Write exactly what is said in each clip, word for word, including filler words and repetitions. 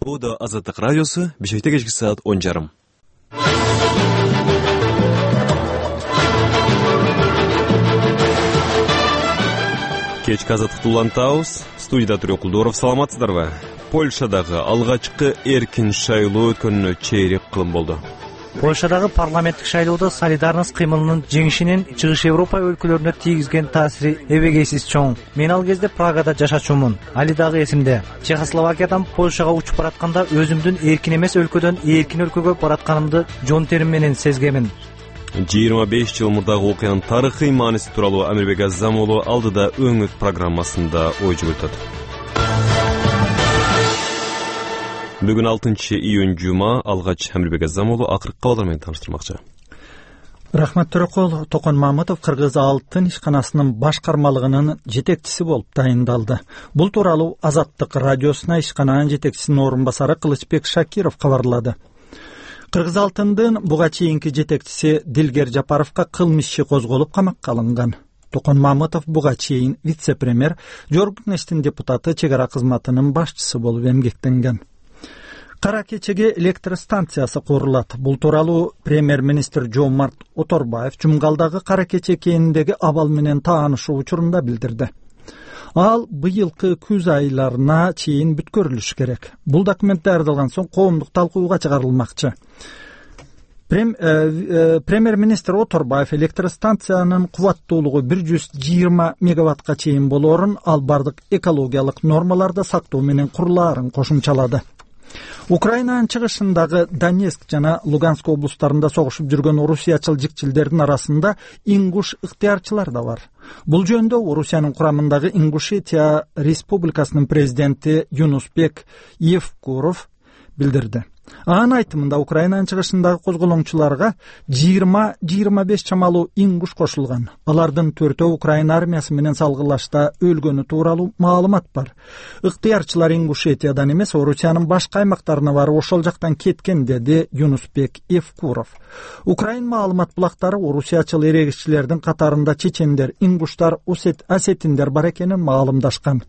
Буда Азаттык радиосу, Бишкекте кечки саат он жарым. Кечки Азаттыкты улантабыз. Студияда Түрө Кулдоров, саламатсыздарбы? Польшадагы алгачкы эркин шайлоо өткөнүнө чейрек кылым болду. Польшадагы парламенттик шайлоодо солидарность кыймылынын жеңишинин Чыгыш Европа өлкөлөрүнө тийгизген таасири эбегейсиз чоң. Мен ал кезде Прагада жашачумун. Али дагы эсимде. Чехословакиядан Польшага учуп баратканда өзүмдүн эркин эмес өлкөдөн эркин өлкөгө баратканымды жон терим менен сезгемин. жыйырма беш жыл мурдагы окуянын тарыхый мааниси тууралуу Амирбек Азам уулу алдыда өңөт программасында ой жүгүртөт. Бүгүн алтынчы июнь жума, алгач Амирбек Азам уулу акыркы кабарлар менен тааныштырмакчы. Рахмат Төрөкул. Токон Мамытов Кыргыз алтын ишканасынын башкармалыгынын жетекчиси болуп тайындалды. Бул тууралуу Азаттык радиосуна ишкананын жетекчисинин орун басары Кылычбек Шакиров кабарлады. Кыргыз алтындын буга чейинки жетекчиси Дилгер Жапаровго кылмыш иши козголуп камакка алынган. Токон Мамытов буга чейин вице-премьер, Жогорку Кеңештин депутаты, чек ара кызматынын башчысы болуп эмгектенген. Кара кечеге электр станциясы курулат. Бул тууралуу премьер-министр Жомарт Оторбаев Жумгалдагы Кара кече кээниндеги абал менен таанышуу учурунда билдирди. Ал быйылкы күз айларына чейин бүткөрүлүш керек. Бул документ даярдалган соң коомдук талкууга чыгарылмакчы. Прем, э, э, премьер-министр Оторбаев электр станциянын кубаттуулугу бир жүз жыйырма мегаваттка чейин болоорун, ал бардык экологиялык нормаларды сактоо менен курулаарын кошумчалады. Украинанын чыгышындагы Донецк жана Луганск облустарында согушуп жүргөн орусиячыл жикчилдердин арасында ингуш ыктыярчылар да бар. Бул жөнүндө Орусиянын курамындагы Ингушетия Республикасынын президенти Юнусбек Евкуров билдирди. Анын айтымында Украинанын чыгышындагы козголоңчуларга жыйырма жыйырма беш чамалуу ингуш кошулган. Алардын төртөө Украина армиясы менен салгылашта өлгөнү тууралуу маалымат бар. Ыктыярчылар Ингушетиядан эмес, Орусиянын башка аймактарына барып ошол жактан кеткен, деди Юнусбек Евкуров. Украин маалымат булактары орусиячыл эрегиччилердин катарында чечендер, ингуштар, осетиндер бар экенин маалымдашкан.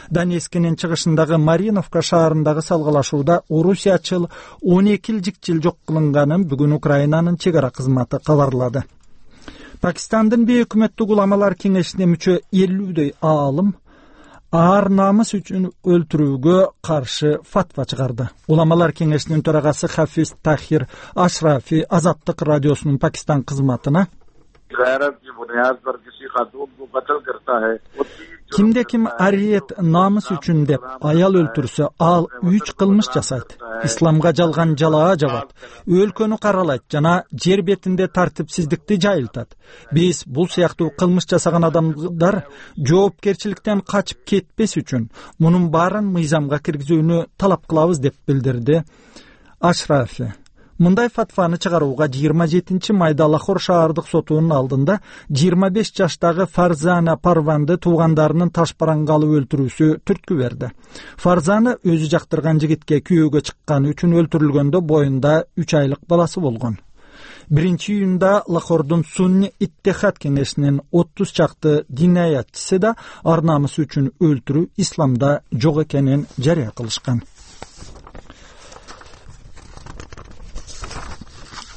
Донецкинин чыгышындагы Мариновка шаарындагы салгылашууда орусиячыл он эки жикчил жок кылынганын бүгүн Украинанын чек ара кызматы кабарлады. Пакистандын бейөкмөттүк уламалар кеңешине мүчө элүүдөй аалым аар намыс үчүн өлтүрүүгө каршы фатва чыгарды. Уламалар кеңешинин төрагасы Хафиз Тахир Ашрафи Азаттык радиосунун Пакистан кызматына кимде ким ариет намыс үчүн деп аял өлтүрсө, ал үч кылмыш жасайт. Исламга жалган жалаа жабат, өлкөнү каралайт жана жер бетинде тартипсиздикти жайылтат. Биз бул сыяктуу кылмыш жасаган адамдар жоопкерчиликтен качып кетпес үчүн мунун баарын мыйзамга киргизүүнү талап кылабыз, деп билдирди Ашрафи. Мындай фатваны чыгарууга жыйырма жетинчи майда Лахор шаардык сотунун алдында жыйырма беш жаштагы Фарзана Парванды туугандарынын ташбаранга алып өлтүрүүсү түрткү берди. Фарзана өзү жактырган жигитке күйөөгө чыкканы үчүн өлтүрүлгөндө боюнда үч айлык баласы болгон. биринчи июнда Лахордун Сунни Иттехад кеңешинин отуз чакты динаятчысы да ар намысы үчүн өлтүрүү исламда жок экенин жарыя кылышкан.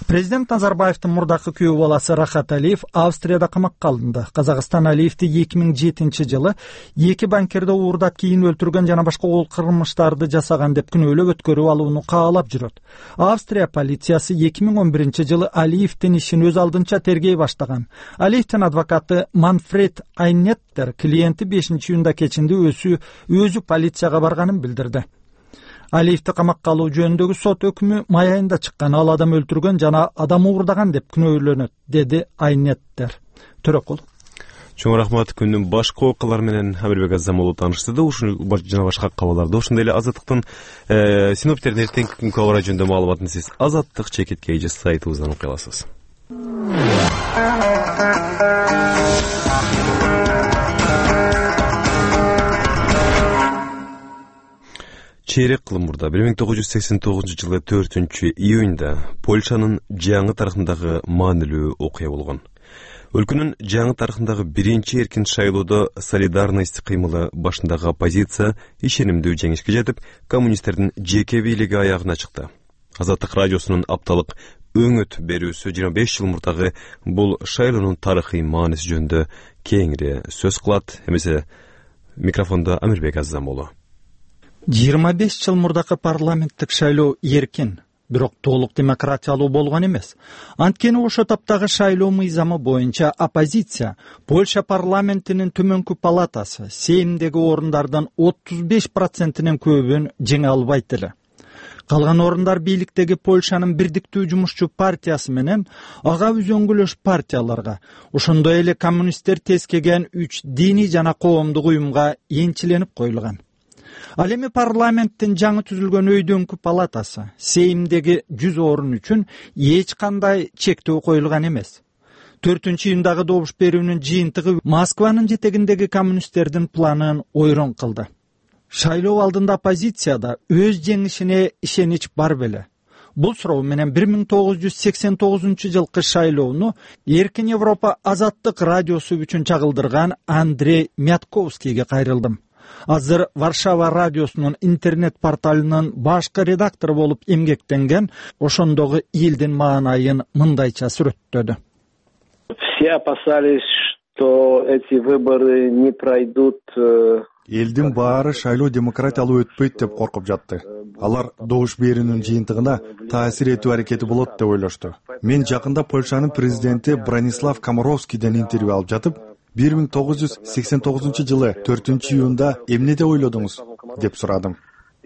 Президент Назарбаевдин мурдакы күйөө баласы Рахат Алиев Австрияда камакка алынды. Казакстан Алиевди эки миң жетинчи жылы эки банкерди уурдап кийин өлтүргөн жана башка кол кылмыштарды жасаган деп күнөөлөп өткөрүп алууну каалап жүрөт. Австрия полициясы эки миң он биринчи жылы Алиевдин ишин өз алдынча тергей баштаган. Алиевдин адвокаты Манфред Айнеттер клиенти бешинчи июнда кечинде өзү өзү полицияга барганын билдирди. Алиевди камакка алуу жөнүндөгү сот өкүмү май айында чыккан. Ал адам өлтүргөн жана адам уурдаган деп күнөөлөнөт, деди Айнеттер. Төрөкул. Чоң рахмат. Күндүн башка окуялары менен Амирбек Азам уулу тааныштырды. Ушул жана башка кабарларды, ошондой эле Азаттыктын синоптиктердин эртеңки күнгү кабары жөнүндө маалыматын сиз Азаттык чекит кейжи сайтыбыздан окуй аласыз. Чейрек кылым мурда бир миң тогуз жүз сексен тогузунчу жылы төртүнчү июнда Польшанын жаңы тарыхындагы маанилүү окуя болгон. Өлкөнүн жаңы тарыхындагы биринчи эркин шайлоодо солидарность кыймылы башындагы оппозиция ишенимдүү жеңишке жетип, коммунисттердин жеке бийлиги аягына чыкты. Азаттык радиосунун апталык өңөт берүүсү жыйырма беш жыл мурдагы бул шайлоонун тарыхый мааниси жөнүндө кеңири сөз кылат. Эмесе микрофондо Амирбек Аззамолу. жыйырма беш жыл мурдакы парламенттик шайлоо эркин, бирок толук демократиялуу болгон эмес. Анткени ошо таптагы шайлоо мыйзамы боюнча оппозиция Польша парламентинин төмөнкү палатасы Сеймдеги орундардан отуз беш процентинен көбүн жеңе албайт эле. Калган орундар бийликтеги Польшанын бирдиктүү жумушчу партиясы менен ага үзөңгүлөш партияларга, ошондой эле коммунисттер тескеген үч диний жана коомдук уюмга энчиленип коюлган. Ал эми парламенттин жаңы түзүлгөн өйдөңкү палатасы Сеймдеги жүз орун үчүн эч кандай чектөө коюлган эмес. төртүнчү июндагы добуш берүүнүн жыйынтыгы Москванын жетегиндеги коммунисттердин планын ойрон кылды. Шайлоо алдында оппозицияда өз жеңишине ишенич бар беле? Бул суроо менен бир миң тогуз жүз сексен тогузунчу жылкы шайлоону Эркин Европа азаттык радиосу үчүн чагылдырган Андрей Мятковскийге кайрылдым. Азыр Варшава радиосунун интернет порталынын башкы редактору болуп эмгектенген, ошондогу элдин маанайын мындайча сүрөттөдү. Все опасались, что эти выборы не пройдут. Элдин баары шайлоо демократиялуу өтпөйт деп коркуп жатты. Алар добуш берүүнүн жыйынтыгына таасир этүү аракети болот деп ойлошту. Мен жакында Польшанын президенти Бронислав Комаровскийден интервью алып жатып, бир миң тогуз жүз сексен тогузунчу жылы төртүнчү июнда эмнеде ойлодуңуз деп сурадым.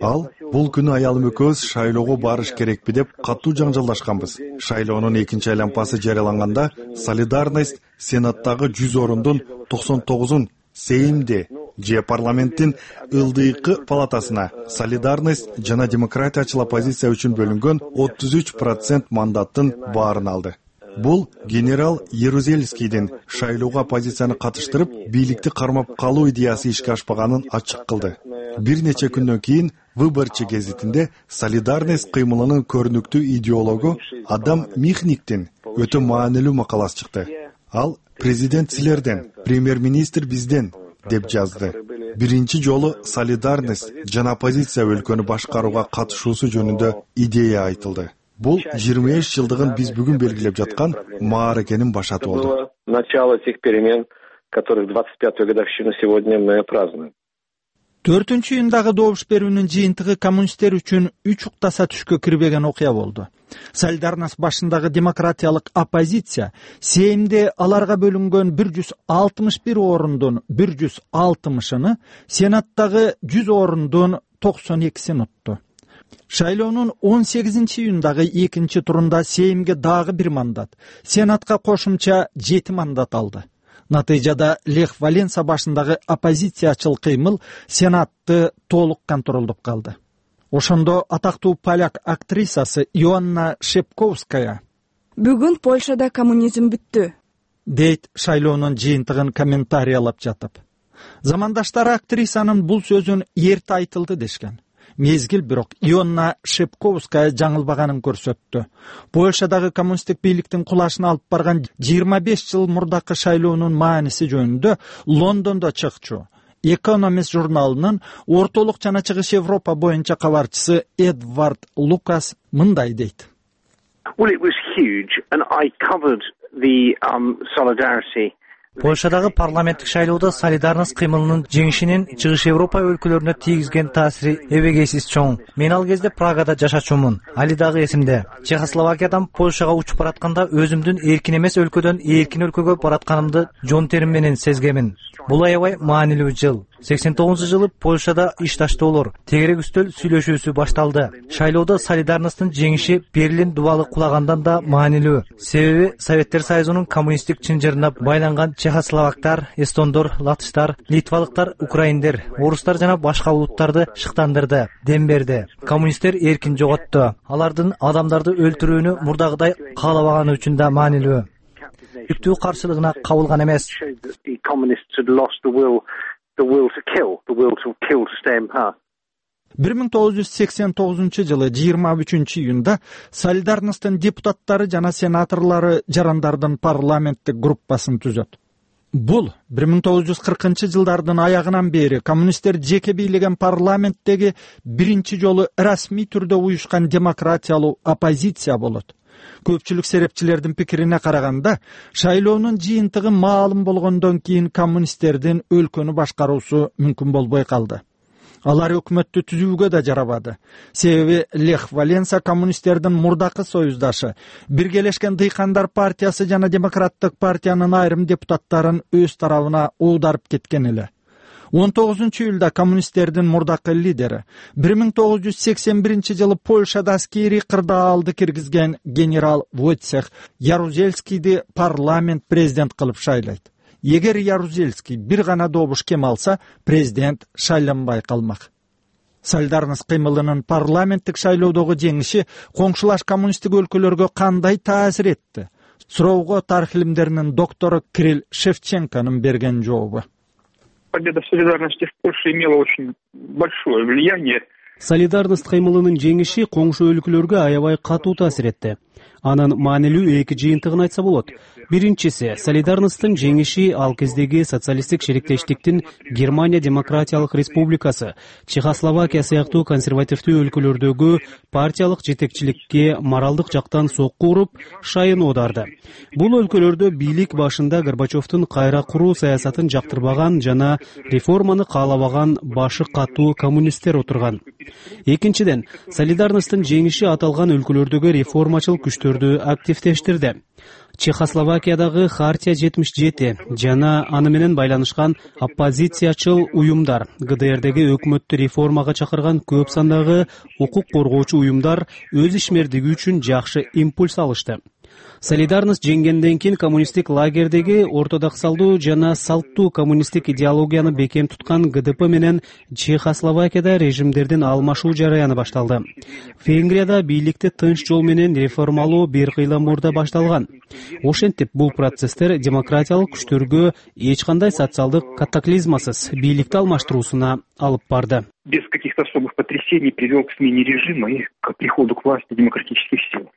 Ал бул күнү аялым экөөбүз шайлоого барыш керекпи деп катуу жаңжалдашканбыз. Шайлоонун экинчи айланпасы жарыяланганда солидарность сенаттагы жүз орундун токсон тогузун Сеймде же парламенттин ылдыйкы палатасына солидарность жана демократиячыл оппозиция үчүн бөлүнгөн отуз үч процент мандаттын баарын алды. Бул генерал Ярузельскийдин шайлоого оппозицияны катыштырып, бийликти кармап калуу идеясы ишке ашпаганын ачык кылды. Бир нече күндөн кийин Выборчы гезитинде солидарность кыймылынын көрүнүктүү идеологу Адам Михниктин өтө маанилүү макаласы чыкты. Ал президент силерден, премьер-министр бизден деп жазды. Биринчи жолу солидарность жана оппозиция өлкөнү башкарууга катышуусу жөнүндө идея айтылды. Бул жыйырма беш жылдыгын биз бүгүн белгилеп жаткан мааракенин башаты болду. Начало тех перемен, которых двадцать пятую годовщину сегодня мы празднуем. төртүнчү июндагы добуш берүүнүн жыйынтыгы коммунисттер үчүн үч уктаса түшкө кирбеген окуя болду. Солидарность башындагы демократиялык оппозиция Сеймде аларга бөлүнгөн бир жүз алтымыш бир орундун бир жүз алтымышыны, Сенаттагы жүз орундун токсон экисин утту. Шайлоонун он сегизинчи июндагы экинчи турунда Сеймге дагы бир мандат, Сенатка кошумча жети мандат алды. Натыйжада Лех Валенса башындагы оппозициячыл кыймыл Сенатты толук контролдоп калды. Ошондо атактуу поляк актрисасы Иоанна Шепковская: "Бүгүн Польшада коммунизм бүттү" дейт шайлоонун жыйынтыгын комментариялап жатып. Замандаштары актрисанын бул сөзүн эрте айтылды дешкен. Мезгил бирок Иоанна Шепковская жаңылбаганын көрсөттү. Польшадагы коммунисттик бийликтин кулашына алып барган жыйырма беш жыл мурдакы шайлоонун мааниси жөнүндө Лондондо чыкчу Economist журналынын ортолук жана чыгыш Европа боюнча кабарчысы Эдвард Лукас мындай дейт. Well, it was huge and I covered the um, solidarity. Польшадагы парламенттик шайлоодо солидарность кыймылынын жеңишинин чыгыш Европа өлкөлөрүнө тийгизген таасири эбегейсиз чоң. Мен ал кезде Прагада жашачумун. Али дагы эсимде. Чехословакиядан Польшага учуп баратканда өзүмдүн эркин эмес өлкөдөн эркин өлкөгө баратканымды жон терим менен сезгемин. Бул аябай маанилүү жыл. сексен тогузунчу жылы Польшада иш таштоолор, тегерек үстөл сүйлөшүүсү башталды. Шайлоодо солидарносттун жеңиши Берлин дубалы кулагандан да маанилүү. Себеби Советтер Союзунун коммунисттик чынжырына байланган чехословактар, эстондор, латыштар, литвалыктар, украиндер, орустар жана башка улуттарды шыктандырды, дем берди. Коммунисттер эркин жоготту. Алардын адамдарды өлтүрүүнү мурдагыдай каалабаганы үчүн да маанилүү. Үктүү каршылыгына кабылган эмес. The will to kill, the will to kill to stay in power. бир миң тогуз жүз сексен тогузунчу жылы жыйырма үчүнчү июнда Солидарностьтун депутаттары жана сенаторлору жарандардын парламенттик группасын түзөт. Бул бир миң тогуз жүз кыркынчы жылдардын аягынан бери коммунисттер жеке бийлеген парламенттеги биринчи жолу расмий түрдө уюшкан демократиялуу оппозиция болот. Көпчүлүк серепчилердин пикирине караганда, шайлоонун жыйынтыгы маалым болгондон кийин коммунисттердин өлкөнү башкаруусу мүмкүн болбой калды. Алар өкмөттү түзүүгө да жарабады. Себеби Лех Валенса коммунисттердин мурдакы союздашы, Биргелешкен дыйкандар партиясы жана Демократтык партиянын айрым депутаттарын өз тарабына оодарып кеткен эле. он тогузунчу июлда коммунисттердин мурдакы лидери, бир миң тогуз жүз сексен биринчи жылы Польшада аскерий кырдаалды киргизген генерал Войцех Ярузельскийди парламент президент кылып шайлайт. Эгер Ярузельский бир гана добуш кем алса, президент шайланбай калмак. Солидарность кыймылынын парламенттик шайлоодогу жеңиши коңшулаш коммунисттик өлкөлөргө кандай таасир этти? Суроого тарых илимдеринин доктору Кирилл Шевченконун берген жообу. Победа солидарности в Польше имела очень большое влияние. Солидарность кыймылынын жеңиши коңшу өлкөлөргө аябай катуу таасир этти. Анын маанилүү эки жыйынтыгын айтса болот. Биринчиси, Солидарностьтун жеңиши ал кездеги социалисттик шериктештиктин Германия Демократиялык Республикасы, Чехословакия сыяктуу консервативдүү өлкөлөрдөгү партиялык жетекчиликке моралдык жактан сокку уруп, шайын оодарды. Бул өлкөлөрдө бийлик башында Горбачевдун кайра куруу саясатын жактырбаган жана реформаны каалабаган башы катуу коммунисттер отурган. Экинчиден, Солидарностьтун жеңиши аталган өлкөлөрдөгү реформачыл күчтөрдү активдештирди. Чехословакиядагы Хартия жетимиш жети жана аны менен байланышкан оппозициячыл уюмдар, ГДРдеги өкмөттү реформага чакырган көп сандагы укук коргоочу уюмдар өз ишмердиги үчүн жакшы импульс алышты. Солидарность жеңгенден кийин коммунисттик лагердеги ортодоксалдуу жана салттуу коммунисттик идеологияны бекем туткан ГДП менен Чехословакияда режимдердин алмашуу жараяны башталды. Венгрияда бийликти тынч жол менен реформалоо бир кыйла мурда башталган. Ошентип бул процесстер демократиялык күчтөргө эч кандай социалдык катаклизмасыз бийликти алмаштыруусуна алып барды. Без каких-то особых потрясений привел к смене режима и к приходу к власти демократических сил.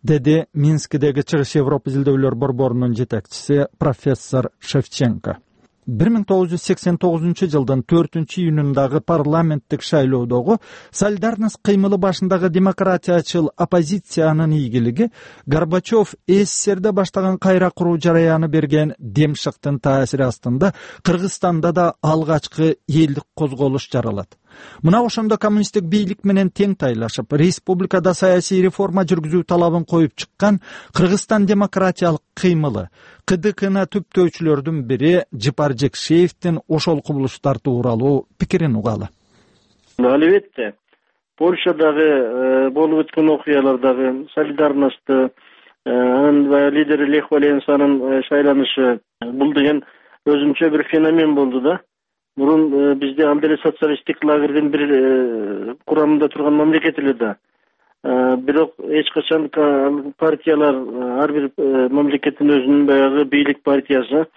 Деди Минскидеги Чыгыш Европа изилдөөлөр борборунун жетекчиси профессор Шевченко. бир миң тогуз жүз сексен тогузунчу жылдын төртүнчү июнундагы парламенттик шайлоодогу Солидарность кыймылы башындагы демократиячыл оппозициянын ийгилиги Горбачев СССРде баштаган кайра куруу жараяны берген демшыктын таасири астында Кыргызстанда да алгачкы элдик козголуш жаралат. Мына ошондо коммунисттик бийлик менен тең тайлашып, республикада саясий реформа жүргүзүү талабын коюп чыккан Кыргызстан демократиялык кыймылы КДКны түптөөчүлөрдүн бири Жыпар Жекшеевдин ошол кубулуштар тууралуу пикирин угалы. Албетте, Польшадагы болуп өткөн окуялардагы Солидарностьты анын лидери Лех Валенсанын шайланышы бул деген өзүнчө бир феномен болду да. Мурун бизде ал деле социалисттик лагердин бир курамында турган мамлекет эле да. Бирок эч качан партиялар ар бир мамлекеттин өзүнүн баягы бийлик партиясы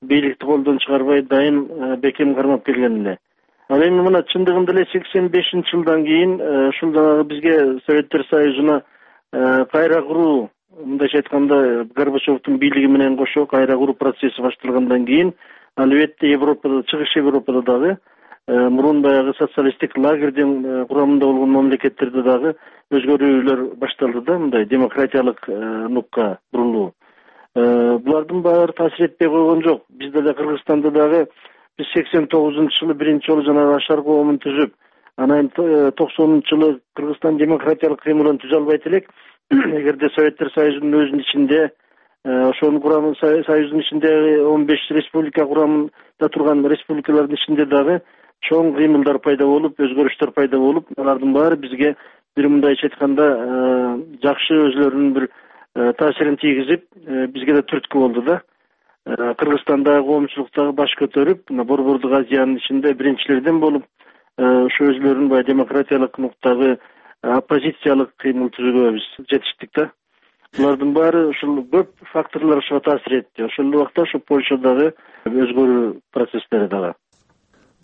бийликти колдон чыгарбай дайым бекем кармап келген эле. Ал эми мына чындыгында эле сексен бешинчи жылдан кийин ушул дагы бизге Советтер Союзуна кайра куруу, мындайча айтканда Горбачевдун бийлиги менен кошо кайра куруу процесси башталгандан кийин албетте Европада, Чыгыш Европада дагы мурун баягы социалисттик лагердин курамында болгон мамлекеттерде дагы өзгөрүүлөр башталды да, мындай демократиялык нукка бурулуу. Булардын баары таасир этпей койгон жок. Бизде да Кыргызстанда дагы биз сексен тогузунчу жылы биринчи жолу жанагы Ашар коомун түзүп, анан токсонунчу жылы Кыргызстан демократиялык кыймылын түзө албайт элек. Эгерде Советтер Союзунун өзүнүн ичинде ошонун курамын союздун ичинде он беш республика курамында турган республикалардын ичинде дагы чоң кыймылдар пайда болуп, өзгөрүштөр пайда болуп, алардын баары бизге бир мындайча айтканда жакшы өзлөрүнүн бир таасирин тийгизип, бизге да түрткү болду да. Кыргызстандагы коомчулуктагы баш көтөрүп, Борбордук Азиянын ичинде биринчилерден болуп, ошо өзлөрүнүн баягы демократиялык нуктагы оппозициялык кыймыл түзүүгө биз жетиштик да. Булардын баары ушул көп факторлор ошого таасир этти. Ошол убакта ошо Польшадагы өзгөрүү процесстери дагы.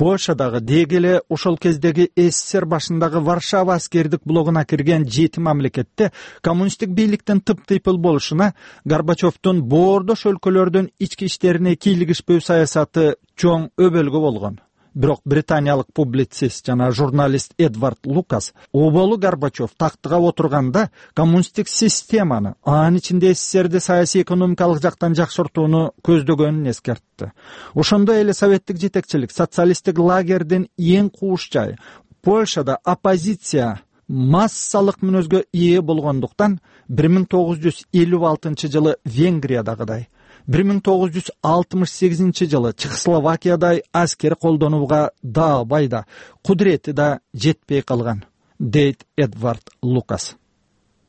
Польшадагы деги эле ошол кездеги СССР башындагы Варшава аскердик блогуна кирген жети мамлекетте коммунисттик бийликтин тып-тыйпыл болушуна Горбачевдун боордош өлкөлөрдүн ички иштерине кийлигишпөө саясаты чоң өбөлгө болгон. Бирок британиялык публицист жана журналист Эдвард Лукас оболу Горбачев тактыга отурганда коммунисттик системаны, анын ичинде СССРди саясий экономикалык жактан жакшыртууну көздөгөнүн эскертти. Ошондой эле советтик жетекчилик социалисттик лагердин эң кууш жайы Польшада оппозиция массалык мүнөзгө ээ болгондуктан бир миң тогуз жүз элүү алтынчы жылы Венгриядагыдай, бир миң тогуз жүз алтымыш сегизинчи жылы Чехословакиядай аскер колдонууга да байда, кудурети да жетпей калган, дейт Эдвард Лукас.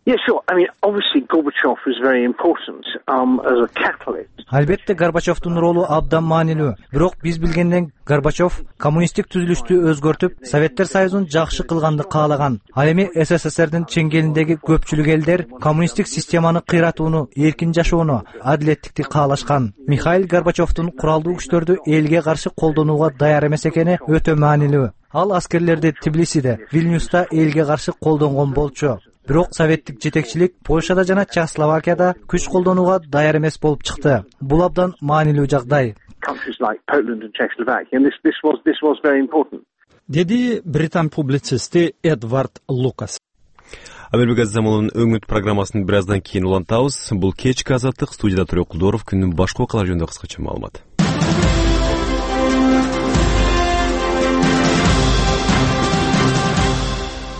Yeah, sure. I mean, obviously Gorbachev is very important um, as a catalyst. Албетте Горбачевдун ролу абдан маанилүү. Бирок биз билгенден Горбачев коммунисттик түзүлүштү өзгөртүп, Советтер Союзун жакшы кылганды каалаган. Ал эми СССРдин чеңгелиндеги көпчүлүк элдер коммунисттик системаны кыйратууну, эркин жашоону, адилеттикти каалашкан. Михаил Горбачевдун куралдуу күчтөрдү элге каршы колдонууга даяр эмес экени өтө маанилүү. Ал аскерлерди Тбилисиде, Вильнюста элге каршы колдонгон болчу. Бирок советтик жетекчилик Польшада жана Чехословакияда күч колдонууга даяр эмес болуп чыкты. Бул абдан маанилүү жагдай. Деди британ публицисти Эдвард Лукас. Амербек Азамулдун өңүт программасын бир аздан кийин улантабыз. Бул кечки азаттык, студияда Турек Кулдоров, күндүн башка окуялары жөнүндө кыскача маалымат.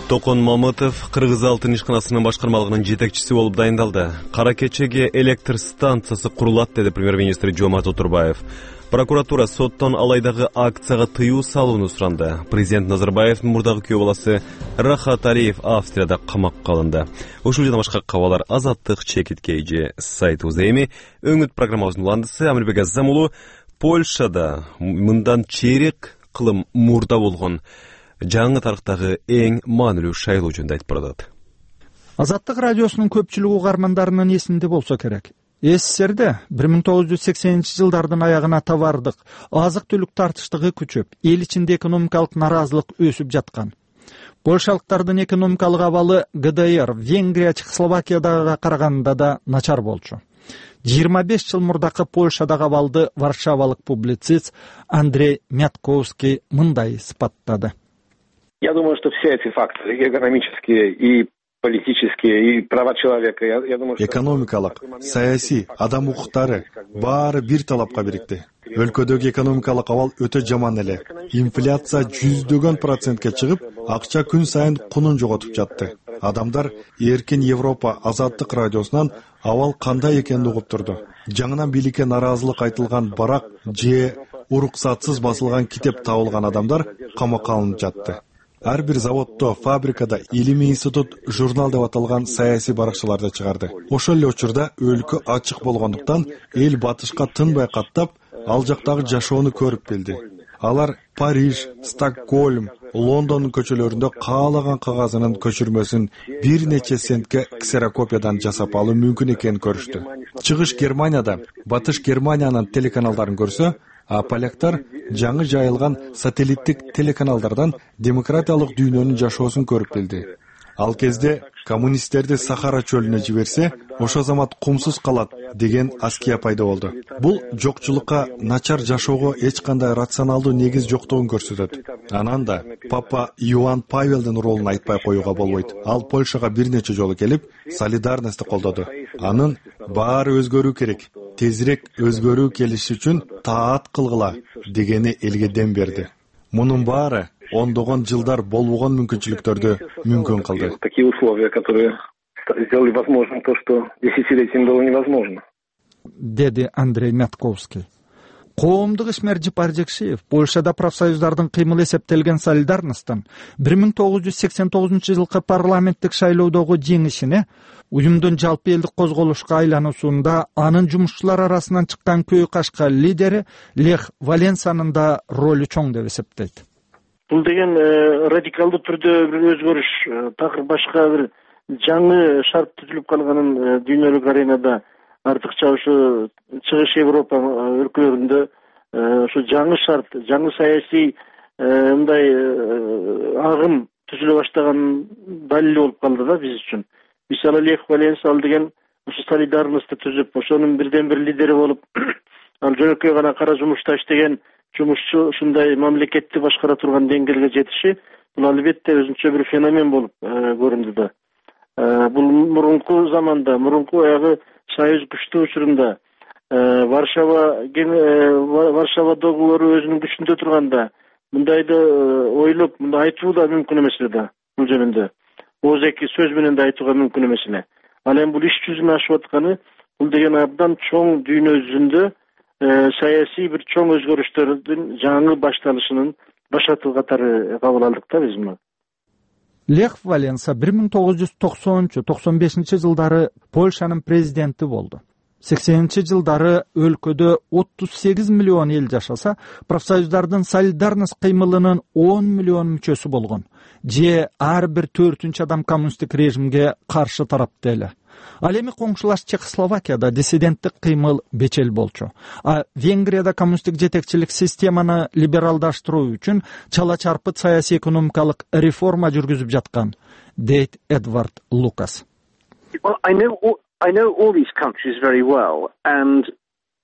Токон Мамытов Кыргыз алтын ишканасынын башкармалыгынын жетекчиси болуп дайындалды. Кара кечеге электр станциясы курулат, деди премьер-министр Жомарт Отурбаев. Прокуратура соттон алайдагы акцияга тыюу салууну суранды. Президент Назарбаевдин мурдагы күйөө баласы Рахат Алиев Австрияда камакка алынды. Ушул жана башка кабарлар Азаттык чекиткейжи сайтыбызда. Эми өңүт программабыздын уландысы Амербек Азамулу Польшада мындан чейрек кылым мурда болгон жаңы тарыхтагы эң маанилүү шайлоо жөнүндө айтып баратат. Азаттык радиосунун көпчүлүк угармандарынын эсинде болсо керек. СССРде бир миң тогуз жүз сексенинчи жылдардын аягына товардык, азык-түлүк тартыштыгы күчөп, эл ичинде экономикалык наразылык өсүп жаткан. Польшалыктардын экономикалык абалы ГДР, Венгрия, Чехословакиядага караганда да начар болчу. жыйырма беш жыл мурдакы Польшадагы абалды варшавалык публицист Андрей Мятковский мындай сыпаттады. Я думаю, что все эти факторы, и экономические, и политические, и права человека, я, я думаю, что... Экономикалык, саясий, адам укуктары баары бир талапка бирикти. Өлкөдөгү экономикалык абал өтө жаман эле. Инфляция жүздөгөн процентке чыгып, акча күн сайын кунун жоготуп жатты. Адамдар Эркин Европа азаттык радиосунан абал кандай экенин угуп турду. Жаңынан бийликке наразылык айтылган барак же уруксатсыз басылган китеп табылган адамдар камакка алынып жатты. Ар бир заводдо, фабрикада, илимий институт, журнал деп аталган саясий баракчаларды чыгарды. Ошол эле учурда өлкө ачык болгондуктан эл батышка тынбай каттап, ал жактагы жашоону көрүп билди. Алар Париж, Стокгольм, Лондондун көчөлөрүндө каалаган кагазынын көчүрмөсүн бир нече центке ксерокопиядан жасап алуу мүмкүн экенин көрүштү. Чыгыш Германияда Батыш Германиянын телеканалдарын көрсө, а поляктар жаңы жайылган сателлиттик телеканалдардан демократиялык дүйнөнүн жашоосун көрүп билди. Ал кезде коммунисттерди Сахара чөлүнө жиберсе, ошо замат кумсуз калат деген аския пайда болду. Бул жокчулукка, начар жашоого эч кандай рационалдуу негиз жоктугун көрсөтөт. Анан да Папа Иоанн Павелдин ролун айтпай коюуга болбойт. Ал Польшага бир нече жолу келип, солидарностьты колдоду. Анын баары өзгөрүү керек. Тезирээк өзгөрүү келиши үчүн таат кылгыла дегени элге дем берди. Мунун баары ондогон жылдар болбогон мүмкүнчүлүктөрдү мүмкүн кылды. Такие условия, которые сделали возможным то, что десятилетиями было невозможно. Деди Андрей Мятковский. Коомдук ишмер Жипар Жекшиев Польшада профсоюздардын кыймыл эсептелген солидарностьтун бир миң тогуз жүз сексен тогузунчу жылкы парламенттик шайлоодогу жеңишине, уюмдун жалпы элдик козголушка айлануусунда анын жумушчулар арасынан чыккан көй кашка лидери Лех Валенсанын да ролу чоң деп эсептейт. Бул деген радикалдуу түрдө бир өзгөрүш, такыр башка бир жаңы шарт түзүлүп калганын дүйнөлүк аренада артыкча ушу чыгыш Европа өлкөлөрүндө ушу жаңы шарт, жаңы саясий мындай агым түзүлө баштаган далили болуп калды да биз үчүн. Мисалы Лех Валенса ал деген ушу солидарностьту түзүп, ошонун бирден бир лидери болуп, ал жөнөкөй гана кара жумушташ деген жумушчу ушундай мамлекетти башкара турган деңгээлге жетиши, бул албетте өзүнчө бир феномен болуп көрүндү да. Бул мурунку заманда, мурунку аягы Союз күчтүү учурунда, Варшава Варшава договору өзүнүн күчүндө турганда мындайды ойлоп, мындай айтуу да мүмкүн эмес эле бул жөнүндө. Ооз-эки сөз менен да айтууга мүмкүн эмес эле. Ал эми бул иш жүзүнө ашып атканы, бул деген абдан чоң дүйнө жүзүндө саясий бир чоң өзгөрүштөрдүн жаңы башталышынын башаты катары кабыл алдык да биз муну. Лех Валенса бир миң тогуз жүз токсонунчу токсон бешинчи жылдары Польшанын президенти болду. сексенинчи жылдары өлкөдө отуз сегиз миллион эл жашаса, профсоюздардын солидарность кыймылынын он миллион мүчөсү болгон. Же ар бир төртүнчү адам коммунисттик режимге каршы тарапта эле. Ал эми коңшулаш Чехословакияда диссиденттик кыймыл бечел болчу. А Венгрияда коммунисттик жетекчилик системаны либералдаштыруу үчүн чала чарпыт саясий экономикалык реформа жүргүзүп жаткан, дейт Эдвард Лукас. Well, I know all, I know all these countries very well, and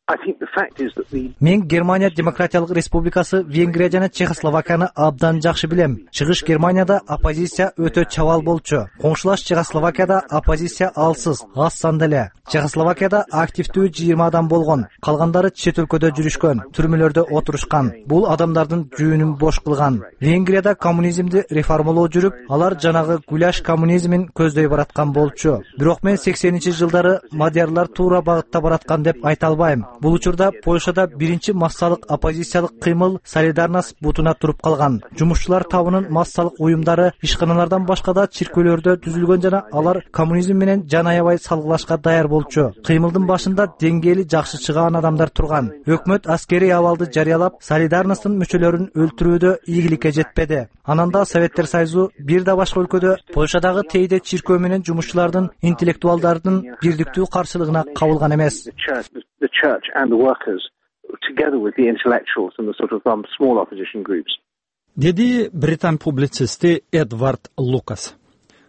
I think the fact is that the Мен Германия Демократиялык Республикасы, Венгрия жана Чехословакияны абдан жакшы билем. Чыгыш Германияда оппозиция өтө чабал болчу. Коңшулаш Чехословакияда оппозиция алсыз, аз санда эле. Чехословакияда активдүү жыйырма адам болгон. Калгандары чет өлкөдө жүрүшкөн, түрмөлөрдө отурушкан. Бул адамдардын жүүнүн бош кылган. Венгрияда коммунизмди реформалоо жүрүп, алар жанагы гуляш коммунизмин көздөй бараткан болчу. Бирок мен сексенинчи жылдары мадиярлар туура багытта бараткан деп айта албайм. Бул учурда Польшада биринчи массалык оппозициялык кыймыл Солидарность бутуна туруп калган. Жумушчулар табынын массалык уюмдары ишканалардан башка да чиркөөлөрдө түзүлгөн жана алар коммунизм менен жан аябай салгылашка даяр болчу. Кыймылдын башында деңгээли жакшы чыгаан адамдар турган. Өкмөт аскерий абалды жарыялап, Солидарностьтун мүчөлөрүн өлтүрүүдө ийгиликке жетпеди. Анан да Советтер Союзу бир да башка өлкөдө Польшадагы тейде чиркөө менен жумушчулардын, интеллектуалдардын бирдиктүү каршылыгына кабылган эмес. the church and the workers, together with the intellectuals and the sort of um, small opposition groups. Деди британ публицисти Эдвард Лукас.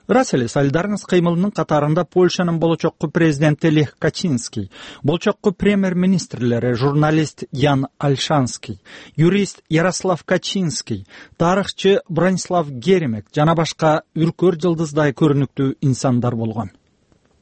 Рас эле солидарность кыймылынын катарында Польшанын болочокку президенти Лех Качинский, болочокку премьер-министрлери журналист Ян Альшанский, юрист Ярослав Качинский, тарыхчы Бронислав Геремек жана башка үркөр жылдыздай көрүнүктүү инсандар болгон.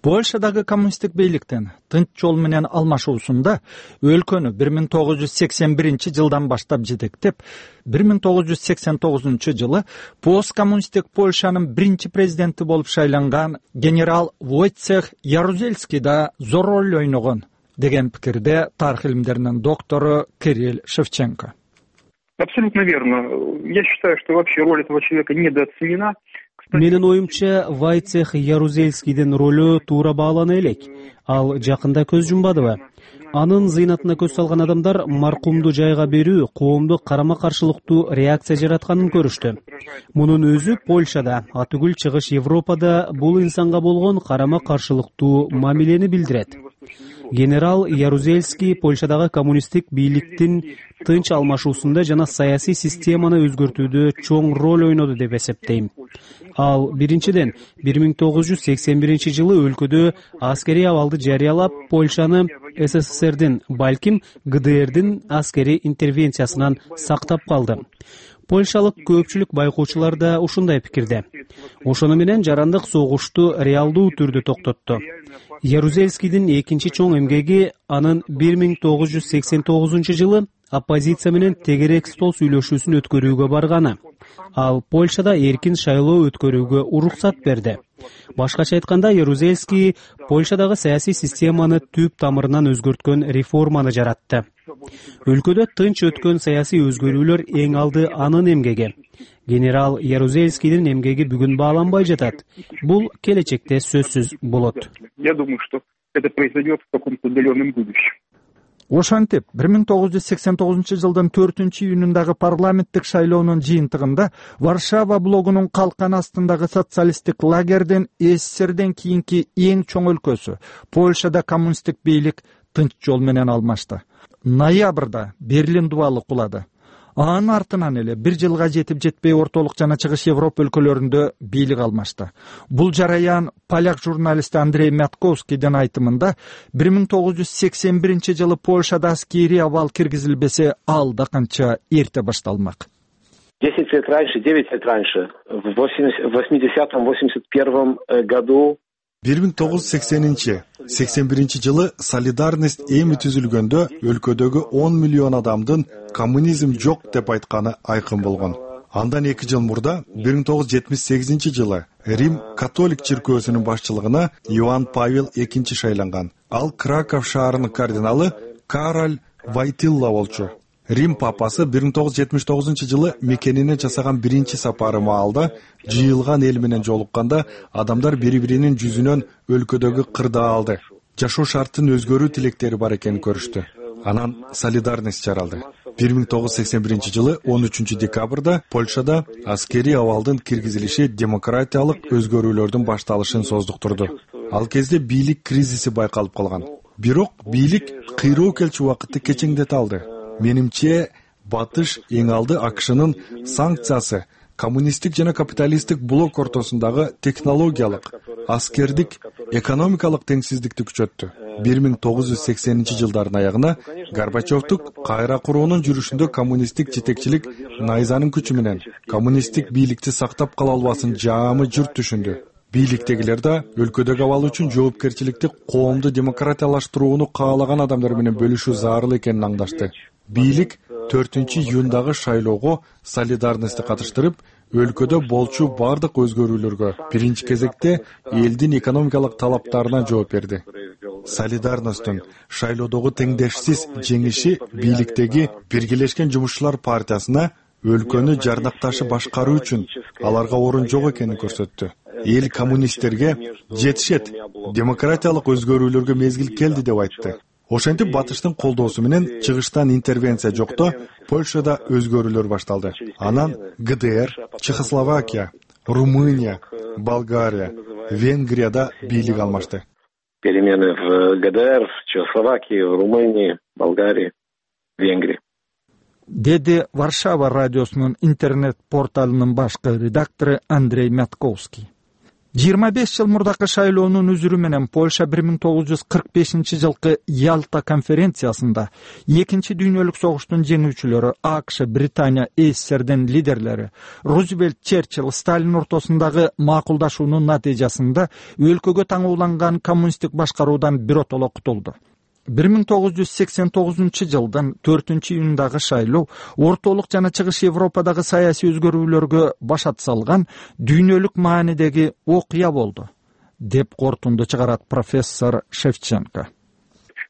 Польшадагы коммунисттик бийликтин тынч жол менен алмашуусунда өлкөнү бир миң тогуз жүз сексен биринчи жылдан баштап жетектеп, бир миң тогуз жүз сексен тогузунчу жылы посткоммунисттик Польшанын биринчи президенти болуп шайланган генерал Войцех Ярузельский да зор роль ойногон деген пикирде тарых илимдеринин доктору Кирилл Шевченко. Абсолютно верно. Я считаю, что вообще роль этого человека недооценена. Менин оюмча, Войцех Ярузельскийдин ролу туура баалана элек. Ал жакында көз жумбадыбы? Анын зыйнатына көз салган адамдар маркумду жайга берүү коомдук карама-каршылыктуу реакция жаратканын көрүштү. Мунун өзү Польшада, атүгүл чыгыш Европада бул инсанга болгон карама-каршылыктуу мамилени билдирет. Генерал Ярузельский Польшадагы коммунисттик бийликтин тынч алмашуусунда жана саясий системаны өзгөртүүдө чоң роль ойноду деп эсептейм. Ал биринчиден бир миң тогуз жүз сексен биринчи жылы өлкөдө аскерий абалды жарыялап, Польшаны СССРдин, балким ГДРдин аскерий интервенциясынан сактап калды. Польшалык көпчүлүк байкоочулар да ушундай пикирде. Ошону менен жарандык согушту реалдуу түрдө токтотту. Ярузельскийдин экинчи чоң эмгеги анын бир миң тогуз жүз сексен тогузунчу жылы оппозиция менен тегерек стол сүйлөшүүсүн өткөрүүгө барганы. Ал Польшада эркин шайлоо өткөрүүгө уруксат берди. Башкача айтканда, Ярузельский Польшадагы саясий системаны түп тамырынан өзгөрткөн реформаны жаратты. Өлкөдө тынч өткөн саясий өзгөрүүлөр эң алды анын эмгеги. Генерал Ярузельскийдин эмгеги бүгүн бааланбай жатат. Бул келечекте сөзсүз болот. Я думаю, что это произойдет в каком-то отдаленном будущем. Ошентип, бир миң тогуз жүз сексен тогузунчу жылдын төртүнчү июнундагы парламенттик шайлоонун жыйынтыгында Варшава блогунун калкан астындагы социалисттик лагердин СССРден кийинки эң чоң өлкөсү Польшада коммунисттик бийлик тынч жол менен алмашты. Ноябрда Берлин дубалы кулады. Анын артынан эле бир жылга жетип жетпей ортолук жана чыгыш Европа өлкөлөрүндө бийлик алмашты. Бул жараян поляк журналисти Андрей Мятковскийдин айтымында бир миң тогуз жүз сексен биринчи жылы Польшада аскерий абал киргизилбесе, ал да канча эрте башталмак. десять лет раньше, девять лет раньше, в восьмидесятом — восемьдесят первом году бир миң тогуз жүз сексенинчи сексен биринчи жылы солидарность эми түзүлгөндө өлкөдөгү он миллион адамдын коммунизм жок деп айтканы айкын болгон. Андан эки жыл мурда бир миң тогуз жүз жетимиш сегизинчи жылы Рим католик чиркөөсүнүн башчылыгына Иоанн Павел экинчи шайланган. Ал Краков шаарынын кардиналы Кароль Войтилла болчу. Рим папасы бир миң тогуз жүз жетимиш тогузунчу жылы мекенине жасаган биринчи сапары маалда жыйылган эл менен жолукканда адамдар бири-биринин жүзүнөн өлкөдөгү кырдаалды, жашоо шартын өзгөрүү тилектери бар экенин көрүштү. Анан солидарность жаралды. бир миң тогуз жүз сексен биринчи жылы он үчүнчү декабрда Польшада аскерий абалдын киргизилиши демократиялык өзгөрүүлөрдүн башталышын создуктурду. Ал кезде бийлик кризиси байкалып калган. Бирок бийлик кыйроо келчү убакытты кечеңдете алды. Менимче, батыш эң алды АКШнын санкциясы коммунисттик жана капиталисттик блок ортосундагы технологиялык, аскердик, экономикалык теңсиздикти күчөттү. бир миң тогуз жүз сексенинчи жылдардын аягына Горбачевдук кайра куруунун жүрүшүндө коммунисттик жетекчилик найзанын күчү менен коммунисттик бийликти сактап кала албасын жаамы журт түшүндү. Бийликтегилер да өлкөдөгү абал үчүн жоопкерчиликти коомду демократиялаштырууну каалаган адамдар менен бөлүшүү зарыл экенин аңдашты. Бийлик төртүнчү июндагы шайлоого солидарностьты катыштырып, өлкөдө болчу бардык өзгөрүүлөргө биринчи кезекте элдин экономикалык талаптарына жооп берди. Солидарностьтун шайлоодогу теңдешсиз жеңиши бийликтеги Биргелешкен жумушчулар партиясына өлкөнү жардакташы башкаруу үчүн аларга орун жок экенин көрсөттү. Эл коммунисттерге жетишет, демократиялык өзгөрүүлөргө мезгил келди деп айтты. Ошентип батыштын колдоосу менен чыгыштан интервенция жокто Польшада өзгөрүүлөр башталды. Анан ГДР, Чехословакия, Румыния, Болгария, Венгрияда бийлик алмашты. Перемены в ГДР, Чехословакии, Румынии, Болгарии, Венгрии. Деди Варшава радиосунун интернет порталынын башкы редактору Андрей Мятковский. жыйырма беш жыл мурдакы шайлоонун үзүрү менен Польша бир миң тогуз жүз кырк бешинчи жылкы Ялта конференциясында экинчи дүйнөлүк согуштун жеңүүчүлөрү АКШ, Британия, СССРдин лидерлери Рузвельт, Черчилль, Сталин ортосундагы макулдашуунун натыйжасында өлкөгө таңууланган коммунисттик башкаруудан биротоло кутулду. бир миң тогуз жүз сексен тогузунчу жылдын төртүнчү июндагы шайлоо ортолук жана чыгыш Европадагы саясий өзгөрүүлөргө башат салган дүйнөлүк маанидеги окуя болду, деп корутунду чыгарат профессор Шевченко.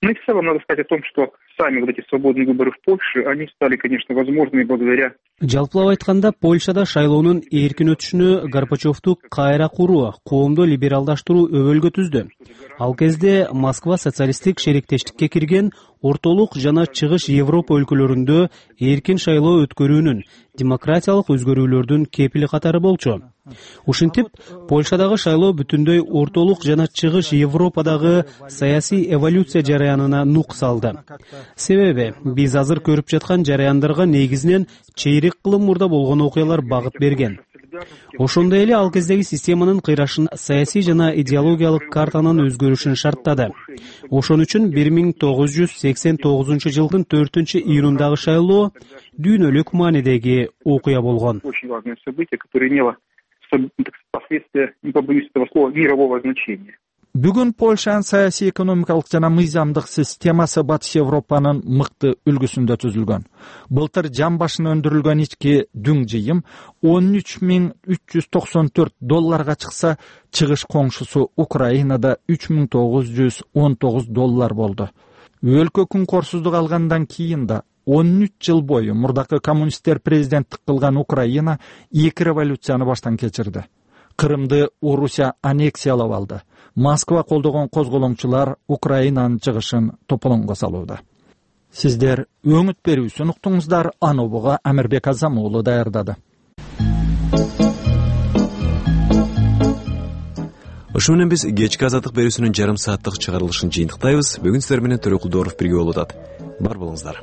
Ну и в целом надо сказать о том, что сами вот эти свободные выборы в Польше, они стали, конечно, возможными благодаря... Жалпылап айтканда, Польшада шайлоонун эркин өтүшүнө Горбачевду кайра куруу, коомду либералдаштыруу өбөлгө түздү. Ал кезде Москва социалисттик шериктештикке кирген ортолук жана чыгыш Европа өлкөлөрүндө эркин шайлоо өткөрүүнүн, демократиялык өзгөрүүлөрдүн кепили катары болчу. Ушинтип, Польшадагы шайлоо бүтүндөй ортолук жана чыгыш Европадагы саясий эволюция жараянына нук салды. Себеби биз азыр көрүп жаткан жараяндарга негизинен чейрек кылым мурда болгон окуялар багыт берген. Ошондой эле ал кездеги системанын кыйрашын, саясий жана идеологиялык картанын өзгөрүшүн шарттады. Ошон үчүн бир миң тогуз жүз сексен тогузунчу жылдын төртүнчү июнундагы шайлоо дүйнөлүк маанидеги окуя болгон. Очень важное событие, которое имело последствия, не побоюсь этого слова, мирового значения. Бүгүн Польшанын саясий, экономикалык жана мыйзамдык системасы Батыш Европанын мыкты үлгүсүндө түзүлгөн. Былтыр жан башына өндүрүлгөн ички дүң жыйым он үч миң үч жүз токсон төрт долларга чыкса, чыгыш коңшусу Украинада үч миң тогуз жүз он тогуз доллар болду. Өлкө күнкорсуздук алгандан кийин да он үч жыл бою мурдакы коммунисттер президенттик кылган Украина эки революцияны баштан кечирди. Кырымды Орусия аннексиялап алды. Москва колдогон козголоңчулар Украинанын чыгышын тополоңго салууда. Сиздер өңүт берүүсүн уктуңуздар. Анобуга Амирбек Азамуулу даярдады. Ошо менен биз кечки азаттык берүүсүнүн жарым сааттык чыгарылышын жыйынтыктайбыз. Бүгүн сиздер менен Төрөкулдоров бирге болуп атат. Бар болуңуздар.